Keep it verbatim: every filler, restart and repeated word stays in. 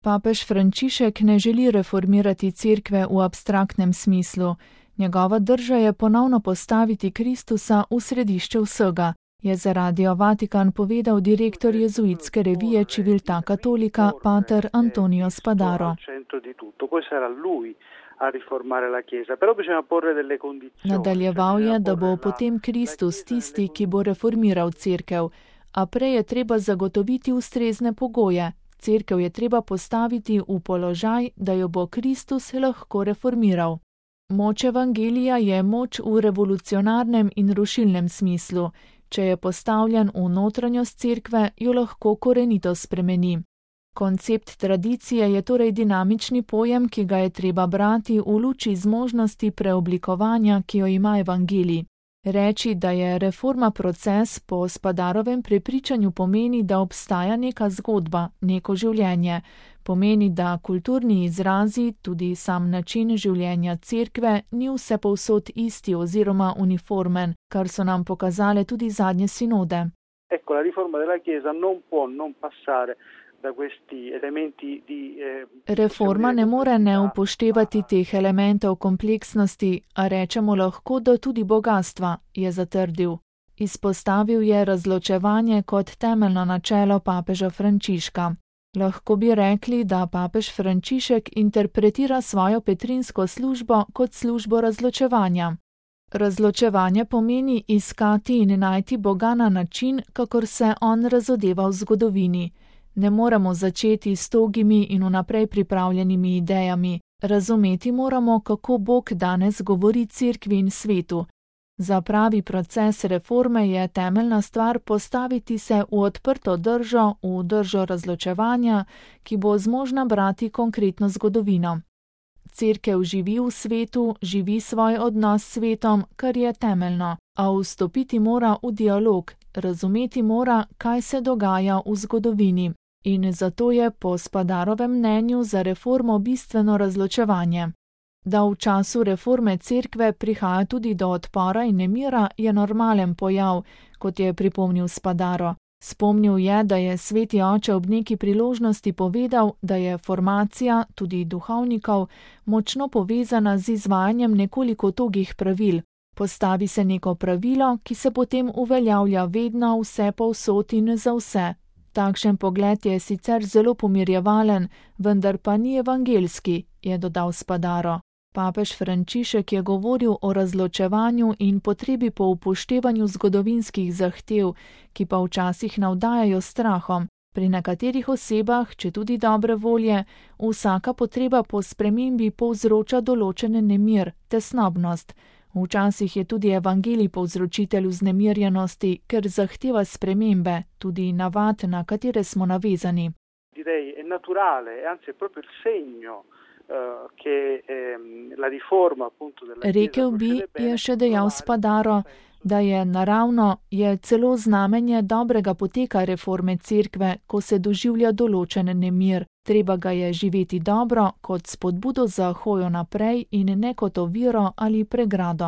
Papež Frančišek ne želi reformirati cerkve v abstraktnem smislu. Njegova drža je ponovno postaviti Kristusa v središče vsega, je za Radio Vatikan povedal direktor jezuitske revije Civiltà Cattolica pater Antonio Spadaro. Nadaljeval je, da bo potem Kristus tisti, ki bo reformiral cerkev, a prej je treba zagotoviti ustrezne pogoje. Cerkev je treba postaviti v položaj, da jo bo Kristus lahko reformiral. Moč evangelija je moč v revolucionarnem in rušilnem smislu. Če je postavljen v notranjost cerkve, jo lahko korenito spremeni. Koncept tradicije je torej dinamični pojem, ki ga je treba brati v luči zmožnosti preoblikovanja, ki jo ima evangelij. Reči, da je reforma proces, po Spadarovem prepričanju pomeni, da obstaja neka zgodba, neko življenje. Pomeni, da kulturni izrazi, tudi sam način življenja cerkve, ni vse povsod isti oziroma uniformen, kar so nam pokazale tudi zadnje sinode. Ecco, la riforma della Chiesa non può non passare da questi elementi di eh, Reforma ne more ne upoštevati teh elementov kompleksnosti, a rečemo lahko, da tudi bogatstva, je zatrdil. Izpostavil je razločevanje kot temeljno načelo papeža Frančiška. Lahko bi rekli, da papež Frančišek interpretira svojo petrinsko službo kot službo razločevanja. Razločevanje pomeni iskati in najti Boga na način, kakor se on razodeva v zgodovini. Ne moremo začeti s togimi in vnaprej pripravljenimi idejami. Razumeti moramo, kako Bog danes govori cerkvi in svetu. Za pravi proces reforme je temeljna stvar postaviti se v odprto držo, v držo razločevanja, ki bo zmožna brati konkretno zgodovino. Cerkev živi v svetu, živi svoj odnos s svetom, kar je temeljno, a vstopiti mora v dialog, razumeti mora, kaj se dogaja v zgodovini. In zato je po Spadarovem mnenju za reformo bistveno razločevanje. Da v času reforme cerkve prihaja tudi do odpora in nemira, je normalen pojav, kot je pripomnil Spadaro. Spomnil je, da je sveti oče ob neki priložnosti povedal, da je formacija, tudi duhovnikov, močno povezana z izvajanjem nekoliko togih pravil. Postavi se neko pravilo, ki se potem uveljavlja vedno, vse povsod in za vse. Takšen pogled je sicer zelo pomirjevalen, vendar pa ni evangelski, je dodal Spadaro. Papež Frančišek je govoril o razločevanju in potrebi po upoštevanju zgodovinskih zahtev, ki pa včasih navdajajo strahom. Pri nekaterih osebah, če tudi dobre volje, vsaka potreba po spremembi povzroča določen nemir, tesnobnost. Včasih je tudi evangelij povzročitelj vznemirjenosti, ker zahteva spremembe, tudi navad, na katere smo navezani. Direi è naturale, anzi è proprio il segno che la riforma appunto della Chiesa. Rekel bi, je še dejal Spadaro, da je naravno, je celo znamenje dobrega poteka reforme cerkve, ko se doživlja določen nemir. Treba ga je živeti dobro, kot spodbudo za hojo naprej in ne kot oviro ali pregrado.